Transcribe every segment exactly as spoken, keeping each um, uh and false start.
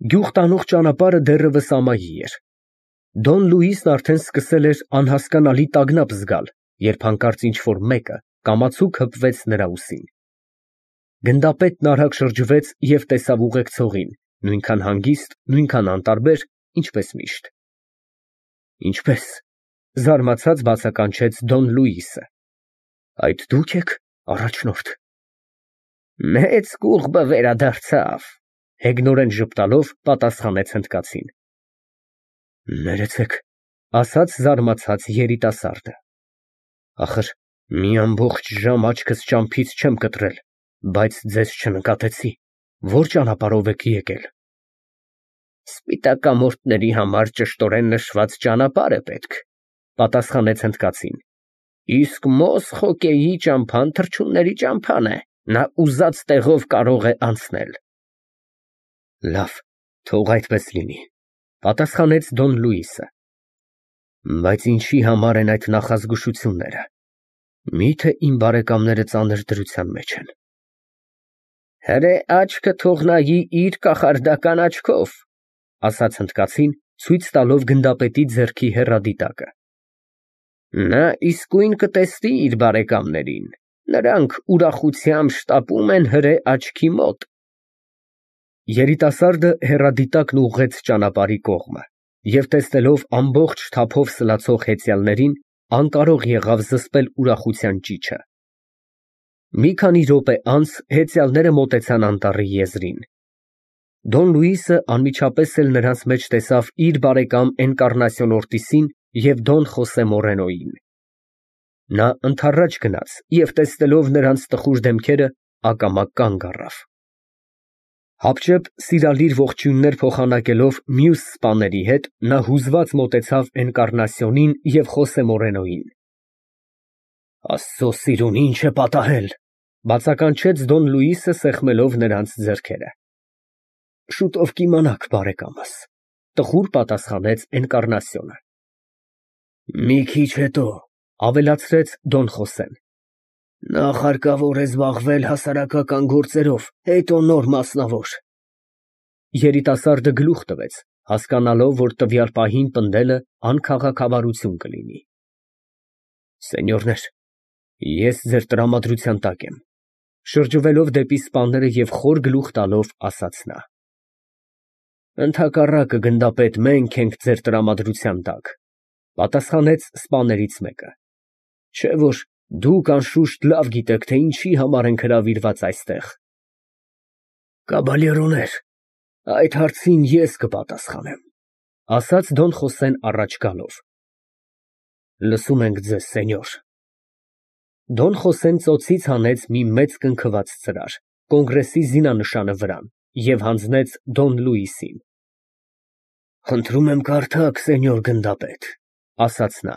Գյուղ տանող ճանապարհը դեռևս ամայի էր։ Դոն Լուիսն արդեն սկսել էր անհասկանալի տագնապ զգալ, երբ հանկարծ ինչ֊որ մեկը կամացուկ հպվեց նրա ուսին։ Գնդապետն արագ շրջվեց և տեսավ ուղեկցողին, նույնքան հանգիստ, նույնքան անտարբեր, ինչպես միշտ։ Ինչպե՞ս, զարմացած բացականչեց Դոն Լուիսը։ Այդ դու՞ք եք, առաջնորդ։ Մեծ կուղբը վերադարձավ, հեգնորեն ժպտալով պատասխանեց հնդկացին։ Ներեցեք, ասաց զարմացած երիտասարդը։ Ախր մի ամբողջ ժամ աչքս ճամփից չեմ կտրել, բայց ձեզ չնկատեցի, ո՞ր ճանապարհով եք եկել։ Սպիտակամորթների համար ճշտորեն նշված ճանապարհ է պետք, պատասխանեց հնդկացին, իսկ Մոսխոկեի ճամփան թռչունների ճամփան է, նա ուզած տեղով կարող է անցնել։ Լավ, թող այդպես լինի, պատասխանեց Դոն Լուիսը։ Բայց ինչի համար են այդ նախազգուշությունները։ Միթե իմ բարեկամները ծանր դրության մեջ են։ Հրե աչքը թող նայի իր կախարդական աչքով, ասաց հնդկացին, ցույց տալով գնդապետի ձեռքի հեռադիտակը։ Նա իսկույն կտեսնի իր բարեկամներին, նրանք ուրախությամբ շտապում են հրե աչքի մոտ։ Երիտասարդը հեռադիտակն ուղղեց ճանապարհի կողմը և տեսնելով ամբողջ թափով սլացող հեծյալներին, անկարող եղավ զսպել ուրախության ճիչը։ Մի քանի րոպե անց հեծյալները մոտեցան անտառի եզրին։ Դոն Լուիսը անմիջապես էլ նրանց մեջ տեսավ իր բարեկամ Էնկառնասիոն Օրտիսին և Դոն Խոսե Մորենոյին։ Նա ընդառաջ գնաց և տեսնելով նրանց տխուր դեմքերը, ակամա կանգ առավ։ Հապճեպ սիրալիր ողջույններ փոխանակելով մյուս սպաների հետ, նա հուզված մոտեցավ Էնկառնասիոնին և Խոսե Մորենոյին։ Աստծո սիրուն, ինչ է պատահել, բացականչեց Դոն Լուիսը սեղմելով նրանց ձեռքերը։ Շուտով կիմանաք, բարեկամս, տխուր պատասխանեց Էնկառնասիոնը։ Մի քիչ հետո, ավելացրեց Դոն Խոսեն, նախ հարկավոր է զբաղվել հասարակական գործերով, հետո նոր մասնավոր։ Երիտասարդը գլուխ տվեց, հասկանալով, որ տվյալ պահին պնդելը անքաղաքավարություն կլինի։ Սենյորներ, ես ձեր տրամադրության տակ եմ, շրջվելով դեպի սպաները և խոր գլուխ տալով, ասաց նա։ Ընդհակառակը, գնդապետ, մենք ենք ձեր տրամադրության տակ, պատասխանեց սպաներից մեկը, չէ՞ որ դուք անշուշտ լավ գիտեք, թե ինչի համար ենք հրավիրված այստեղ։ Կաբալերոներ, այդ հարցին ես կպատասխանեմ, ասաց Դոն Խոսեն առաջ գալով։ Լսում ենք ձեզ, սենյոր։ Դոն Խոսեն ծոցից հանեց մի մեծ կնքված ծրար, կոնգրեսի զինանշանը վրան, և հանձնեց Դոն Լուիսին։ Խնդրում եմ կարդաք, սենյոր գնդապետ, ասաց նա։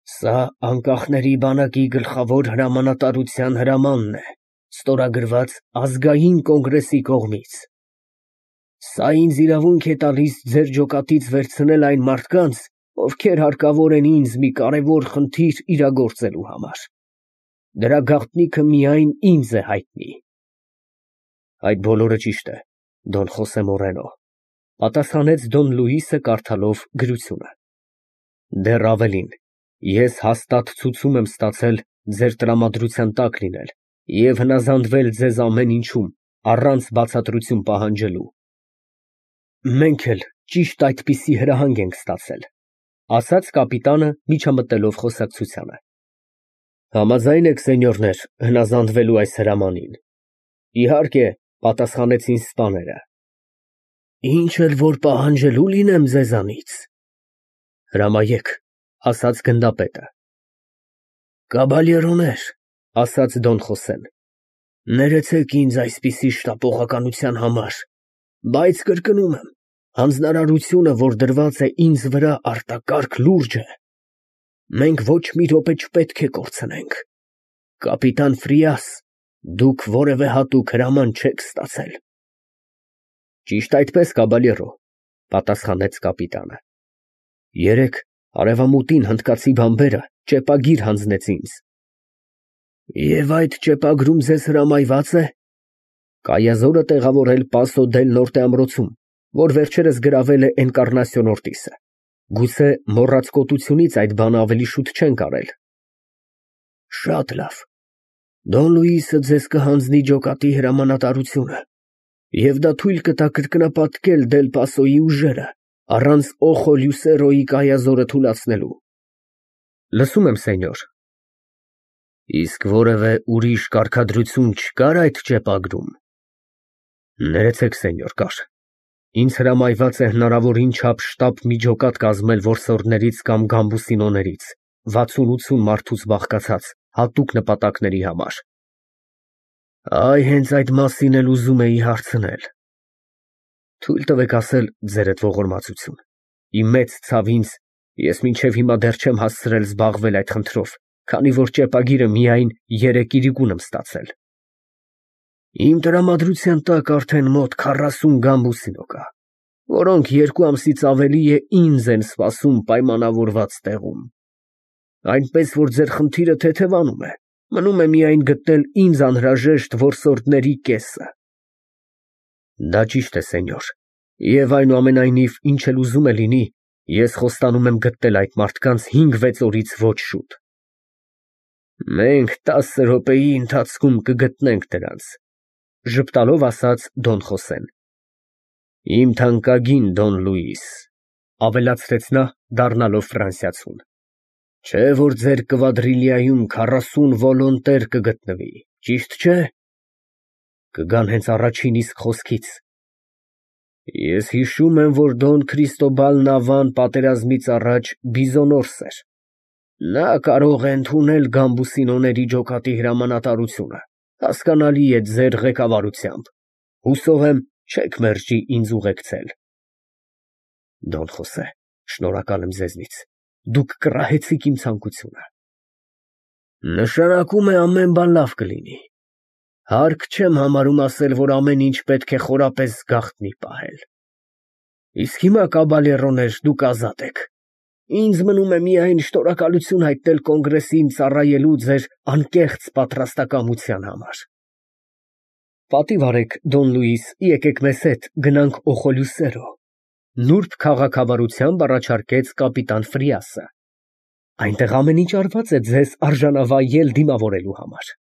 Սա անկախների բանակի գլխավոր հրամանատարության հրամանն է, ստորագրված ազգային կոնգրեսի կողմից։ Սա ինձ իրավունք է տալիս ձեր ջոկատից վերցնել այն մարդկանց, ովքեր հարկավոր են ինձ մի կարևոր խնդիր իրագործելու համար։ Դրա գաղտնիքը միայն ինձ է հայտնի։ Այդ բոլորը ճիշտ է, Դոն Խոսե Մորենո, պատասխանեց Դոն Լուիսը կարդալով գրությունը։ Դեռ ավելին, ես հաստատ ցուցում եմ ստացել ձեր տրամադրության տակ լինել և հնազանդվել ձեզ ամեն ինչում, առանց բացատրություն պահանջելու։ Մենք էլ ճիշտ այդպիսի հրահանգ ենք ստացել, ասաց կապիտանը միջամտելով խոսակցությանը։ Համաձայն եք, սենյորներ, հնազանդվելու այս հրամանին։ Իհարկե, պատասխանեցին սպաները։ Ինչ էլ որ պահանջելու լինեմ ձեզանից։ Հրամայեք, ասաց գնդապետը։ Կաբալերոներ, ասաց Դոն Խոսեն, ներեցեք ինձ այսպիսի շտապողականության համար, բայց կրկնում եմ, հանձնարարությունը, որ դրված է ինձ վրա, արտակարգ լուրջ է։ Մենք ոչ մի րոպե չպետք է կորցնենք։ Կապիտան Ֆրիաս, դուք որևէ հատուկ հրաման չեք ստացել։ Ճիշտ այդպես, կաբալերո, պատասխանեց կապիտանը։ Երեկ արևամուտին հնդկացի բանբերը ճեպագիր հանձնեց ինձ։ Եվ այդ ճեպագրում ձեզ հրամայված է Կայազորը տեղավորել Պասո դել Նորտե ամրոցում, որ վերջերս գրավել է Էնկառնասիոն Օրտիսը։ Գուցե մոռաց կոտությունից այդ բանը ավելի շուտ չենք արել։ Շատ լավ։ Դոն Լուիսը ձեզ կհանձնի ջոկատի հրամանատարությունը, և դա թույլ կտա կրկնապատկել Դել Պասոյի ուժերը, առանց Օխո Լյուսերոյի կայազորը թուլացնելու։ Լսում եմ, սենյոր։ Իսկ որևէ ուրիշ կարգադրություն չկար այդ ճեպագրում։ Ներեցեք, սենյոր, կար։ Ինձ հրամայված է հնարավորին չափ շտապ մի ջոկատ կազմել որսորդներից կամ գամբուսինոներից, վաթսուն֊ութսուն մարդուց բաղկացած, հատուկ նպատակների համար։ Այ հենց այդ մասին էլ ուզում էի հարցնել։ Թույլ տվեք ասել ձերդ ողորմածություն։ Իմ մեծ ցավ ինձ, ես մինչև հիմա դեռ չեմ հասցրել զբաղվել այդ խնդրով, քանի որ ճեպագիրը միայն երեք իրիկուն եմ ստացել։ Իմ տրամադրության տակ արդեն մոտ քառասուն գամբուսինո կա, որոնք երկու ամսից ավելի է ինձ են սպասում պայմանավորված տեղում։ Այնպես որ ձեր խնդիրը թեթևանում է, մնում է միայն գտնել ինձ անհրաժեշտ որսորդների կեսը։ Դա ճիշտ է, սենյոր, և այնուամենայնիվ, ինչ էլ ուզում է լինի, ես խոստանում եմ գտնել այդ մարդկանց հինգ֊վեց օրից ոչ շուտ։ Մենք տասը րոպեի ընթացքում կգտնենք դրանց, ժպտալով ասաց Դոն Խոսեն։ Իմ թանկագին Դոն Լուիս, ավելացրեց նա, դառնալով ֆրանսիացուն, չէ որ ձեր կվադրիլիայում քառասուն վոլոնտեր կգտնվի, ճիշտ չէ։ Կգան հենց առաջին իսկ խոսքից։ Ես հիշում եմ, որ Դոն Քրիստոբալ Նավան պատերազմից առաջ բիզոնորս էր։ Նա կարող է ընդունել գամբուսինոների ջոկատի հրամանատարությունը, հասկանալի է ձեր ղեկավարությամբ։ Հուսով եմ, չեք մերժի ինձ ուղեկցել։ Դոն Խոսե, շնորհակալ եմ ձեզնից, դուք կռահեցիք իմ ցանկությունը։ Նշանակում է ամեն բան լավ կլինի։ Հարկ չեմ համարում ասել, որ ամեն ինչ պետք է խորապես գաղտնի պահել։ Իսկ հիմա, կաբալերոներ, դուք ազատ եք։ Ինձ մնում է միայն շնորհակալություն հայտնել կոնգրեսին ծառայելու ձեր անկեղծ պատրաստակամության համար։ Պատիվ արեք, Դոն Լուիս, եկեք մեզ հետ գնանք Օխո Լյուսերո, նուրբ քաղաքավարությամբ առաջարկեց կապիտան Ֆրիասը։ Այնտեղ ամեն ինչ արված է ձեզ արժանավայել դիմավորելու համար։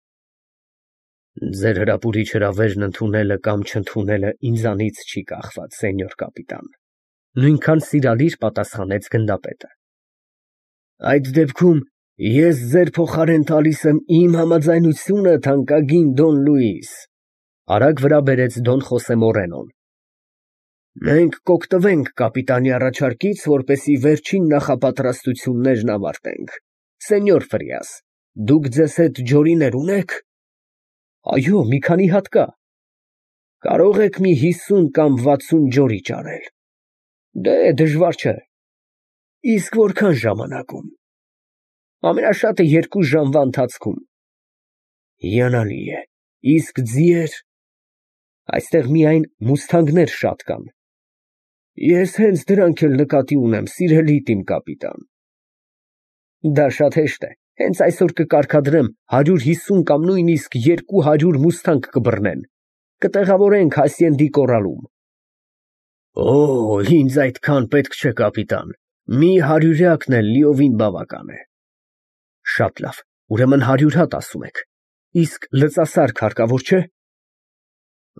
Ձեր հրապուրիչ հրավերն ընդունելը կամ չընդունելը ինձանից չի կախված, սենյոր կապիտան, նույնքան սիրալիր պատասխանեց գնդապետը։ Այդ դեպքում ես ձեր փոխարեն տալիս եմ իմ համաձայնությունը, թանկագին Դոն Լուիս, արագ վրա բերեց Դոն Խոսե Մորենոն։ Մենք կօգտվենք կապիտանի առաջարկից, որպեսզի վերջին նախապատրաստություններն ավարտենք։ Սենյոր Ֆրիաս, դուք ձեզ հետ ջորիներ ունե՞ք։ Այո, մի քանի հատ կա։ Կարող եք մի հիսուն կամ վաթսուն ջորի ճարել։ Դե, դժվար չէ։ Իսկ որքան ժամանակում։ Ամենաշատը երկու ժամվա ընթացքում։ Հիանալի է։ Իսկ ձիեր։ Այստեղ միայն մուսթանգներ շատ կան։ Ես հենց դրանք էլ նկատի ունեմ, սիրելի իմ կապիտան։ Դա շատ հեշտ է։ Հենց այսօր կկարգադրեմ հարյուր հիսուն կամ նույնիսկ երկու հարյուր մուսթանգ կբռնեն, կտեղավորենք Հասիենդի կորալում։ Օ, ինձ այդքան պետք չէ, կապիտան, մի հարյուրյակն էլ լիովին բավական է։ Շատ լավ, ուրեմն հարյուր հատ ասում եք, իսկ լծասարք հարկավոր չէ։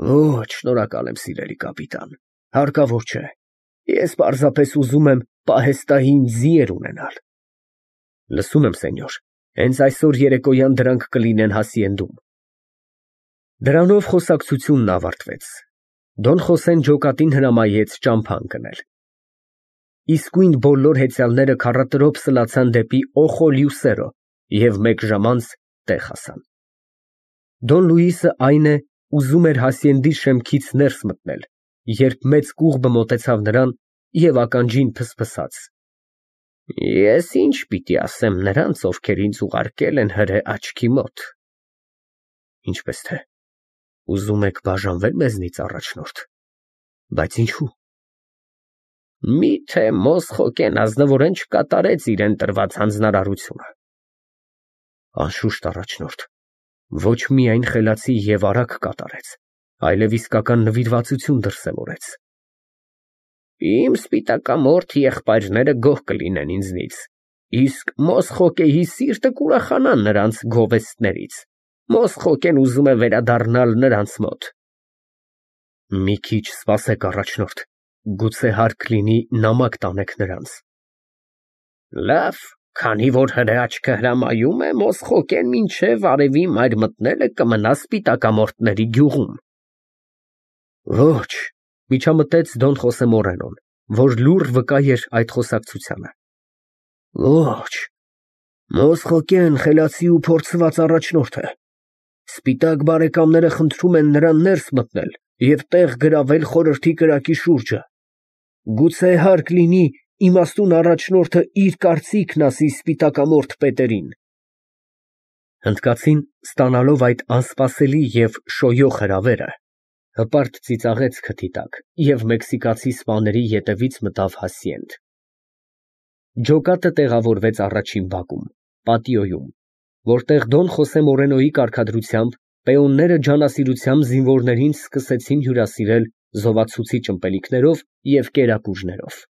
Ոչ, շնորհակալ եմ, սիրելի կապիտան, հարկավոր չէ, ես պարզապես ուզում եմ պահեստային ձիեր ունենալ։ Լսում եմ, սենյոր, հենց այսօր երեկոյան դրանք կլինեն Հասիենդում։ Դրանով խոսակցությունն ավարտվեց։ Դոն Խոսեն ջոկատին հրամայեց ճամփա ընկնել։ Իսկույն բոլոր հեծյալները քառատրոփ սլացան դեպի Օխո Լյուսերո և մեկ ժամ անց տեղ հասան։ Դոն Լուիսը, այն է, ուզում էր Հասիենդի շեմքից ներս մտնել, երբ մեծ կուղբը մոտեցավ նրան և ականջին փսփսաց. Ես ինչ պիտի ասեմ նրանց, ովքեր ինձ ուղարկել են հրե աչքի մոտ։ Ինչպես թե, ուզում եք բաժանվել մեզնից, առաջնորդ, բայց ինչու։ Միթե Մոսխոկեն ազնվորեն չկատարեց իրեն տրված հանձնարարությունը։ Անշուշտ, առաջնորդ, ոչ միայն խելացի և արագ կատարեց, այլև իսկական նվիրվածություն դրսևորեց։ Իմ սպիտակամորթ եղբայրները գոհ կլինեն ինձնից, իսկ Մոսխոկեի սիրտը կուրախանա նրանց գովեստներից, Մոսխոկեն ուզում է վերադառնալ նրանց մոտ։ Մի քիչ սպասեք, առաջնորդ, գուցե հարկ լինի նամակ տանեք նրանց։ Լավ, քանի որ հրաչքը հրամայում է, Մոսխոկեն մինչև արևի մայր մտնելը կմնա սպիտակամորթների գյուղում։ Ոչ, միջամտեց Դոն Խոսե Մորենոն, որ լուռ վկա էր այդ խոսակցությանը։ Ոչ, Մոսխոկեն խելացի ու փորձված առաջնորդ է։ Սպիտակ բարեկամները խնդրում են նրան ներս մտնել և տեղ գրավել խորհրդի կրակի շուրջը։ Գուցե հարկ լինի իմաստուն առաջնորդը իր կարծիքն ասի սպիտակամորթ պետերին։ Հնդկացին, ստանալով այդ անսպասելի և շոյող հրավերը, հպարտ ծիծաղեց քթի տակ և մեքսիկացի սպաների ետևից մտավ Հասիենդ։ Ջոկատը տեղավորվեց առաջին բակում, պատիոյում, որտեղ Դոն Խոսե Մորենոյի կարգադրությամբ պեոնները ջանասիրությամբ զինվորներին սկսեցին հյուրասիրել զովացուցիչ ըմպելիքներով և կերակուրներով։